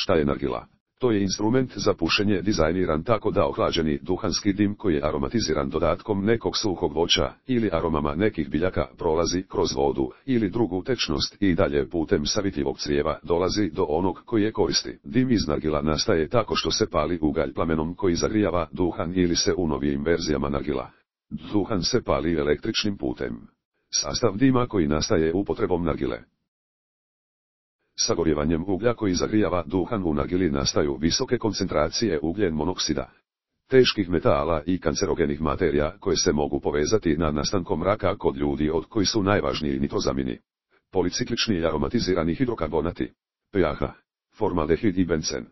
Šta je nargila? To je instrument za pušenje dizajniran tako da ohlađeni duhanski dim koji je aromatiziran dodatkom nekog suhog voća ili aromama nekih biljaka prolazi kroz vodu ili drugu tečnost i dalje putem savitljivog crijeva dolazi do onog koji je koristi. Dim iz nargila nastaje tako što se pali ugalj plamenom koji zagrijava duhan ili se u novijim verzijama nargila. Duhan se pali električnim putem. Sastav dima koji nastaje upotrebom nargile. Sagorjevanjem uglja koji zagrijava duhan u nargili nastaju visoke koncentracije ugljen monoksida, teških metala i kancerogenih materija koje se mogu povezati na nastankom raka kod ljudi od koji su najvažniji nitrozamini, policiklični i aromatizirani hidrokarbonati, pH, formaldehid i bencen.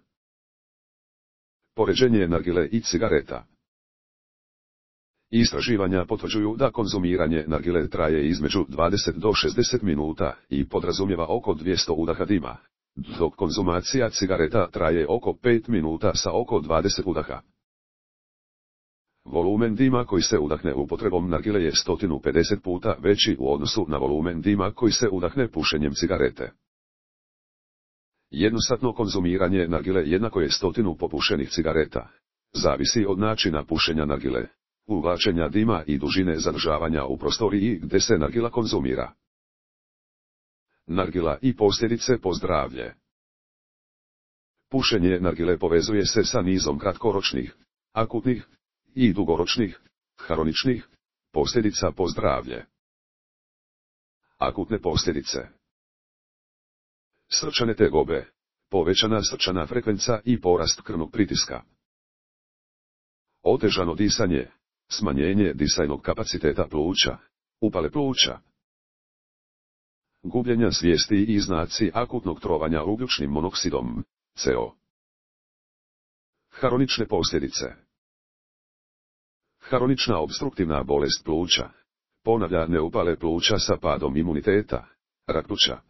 Poređenje nargile i cigareta. Istraživanja potvrđuju da konzumiranje nargile traje između 20 do 60 minuta i podrazumijeva oko 200 udaha dima, dok konzumacija cigareta traje oko 5 minuta sa oko 20 udaha. Volumen dima koji se udahne upotrebom nargile je 150 puta veći u odnosu na volumen dima koji se udahne pušenjem cigarete. Jednosatno konzumiranje nargile jednako je 100 popušenih cigareta. Zavisi od načina pušenja nargile, uvlačenja dima i dužine zadržavanja u prostoriji gdje se nargila konzumira. Nargila i posljedice po zdravlje. Pušenje nargile povezuje se sa nizom kratkoročnih, akutnih i dugoročnih, hroničnih posljedica po zdravlje. Akutne posljedice. Srčane tegobe, povećana srčana frekvenca i porast krvnog pritiska. Otežano disanje, smanjenje disajnog kapaciteta pluća, upale pluća. Gubljenja svijesti i znaci akutnog trovanja ugljičnim monoksidom, CO. Hronične posljedice. Hronična opstruktivna bolest pluća, ponavljane upale pluća sa padom imuniteta, rak pluća.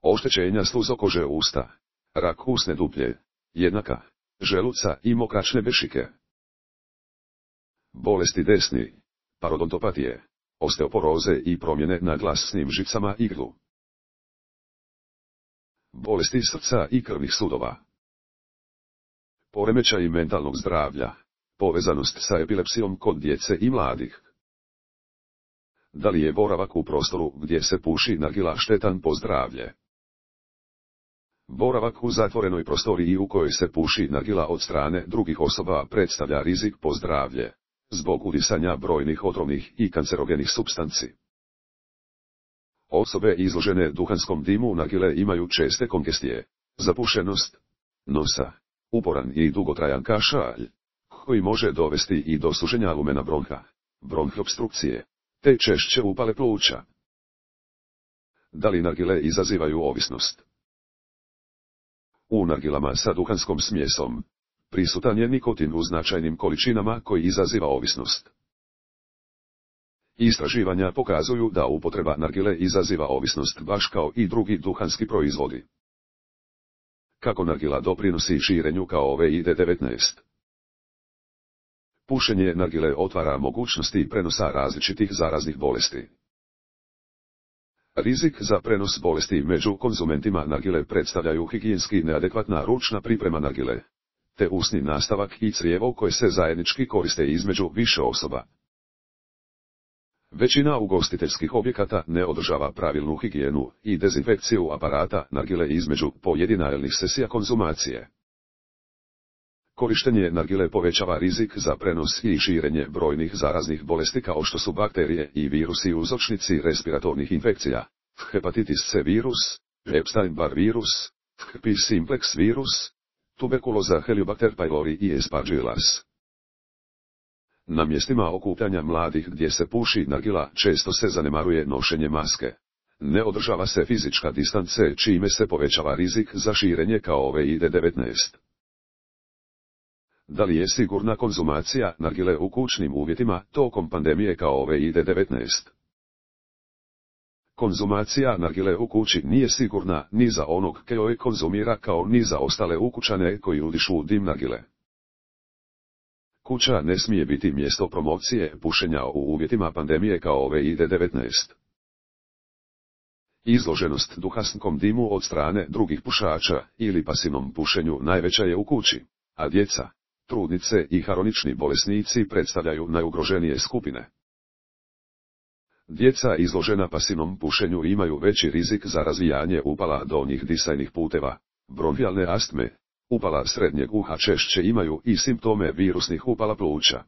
Oštećenja sluzokože usta, rak usne duplje, jednaka, želuca i mokračne bešike. Bolesti desni, parodontopatije, osteoporoze i promjene na glasnim žicama i grlu. Bolesti srca i krvnih sudova. Poremećaj mentalnog zdravlja, povezanost sa epilepsijom kod djece i mladih. Da li je boravak u prostoru gdje se puši nargila štetan po zdravlje? Boravak u zatvorenoj prostoriji u kojoj se puši nargila od strane drugih osoba predstavlja rizik po zdravlje, zbog udisanja brojnih otrovnih i kancerogenih supstanci. Osobe izložene duhanskom dimu nargile imaju česte konkestije, zapušenost nosa, uporan i dugotrajan kašalj, koji može dovesti i do suženja lumena bronha, bronhopstrukcije, te češće upale pluća. Da li nargile izazivaju ovisnost? U nargilama sa duhanskom smjesom prisutan je nikotin u značajnim količinama koji izaziva ovisnost. Istraživanja pokazuju da upotreba nargile izaziva ovisnost baš kao i drugi duhanski proizvodi. Kako nargila doprinosi širenju kao COVID-19? Pušenje nargile otvara mogućnosti prenosa različitih zaraznih bolesti. Rizik za prenos bolesti među konzumentima nargile predstavljaju higijenski neadekvatna ručna priprema nargile, te usni nastavak i crijevo koje se zajednički koriste između više osoba. Većina ugostiteljskih objekata ne održava pravilnu higijenu i dezinfekciju aparata nargile između pojedinačnih sesija konzumacije. Korištenje nargile povećava rizik za prenos i širenje brojnih zaraznih bolesti kao što su bakterije i virusi uzročnici respiratornih infekcija, hepatitis C virus, Epstein-Barr virus, herpes simplex virus, tuberkuloza Helicobacter pylori i Aspergillus. Na mjestima okupljanja mladih gdje se puši nargila često se zanemaruje nošenje maske. Ne održava se fizička distance čime se povećava rizik za širenje COVID-19. Da li je sigurna konzumacija nargile u kućnim uvjetima tokom pandemije COVID-19? Konzumacija nargile u kući nije sigurna ni za onog koji konzumira kao ni za ostale ukućane koji udišu dim nargile. Kuća ne smije biti mjesto promocije pušenja u uvjetima pandemije COVID-19. Izloženost duhanskom dimu od strane drugih pušača ili pasivnom pušenju najveća je u kući, a djeca, trudnice i hronični bolesnici predstavljaju najugroženije skupine. Djeca izložena pasivnom pušenju imaju veći rizik za razvijanje upala donjih disajnih puteva, bronhijalne astme, upala srednjeg uha, češće imaju i simptome virusnih upala pluća.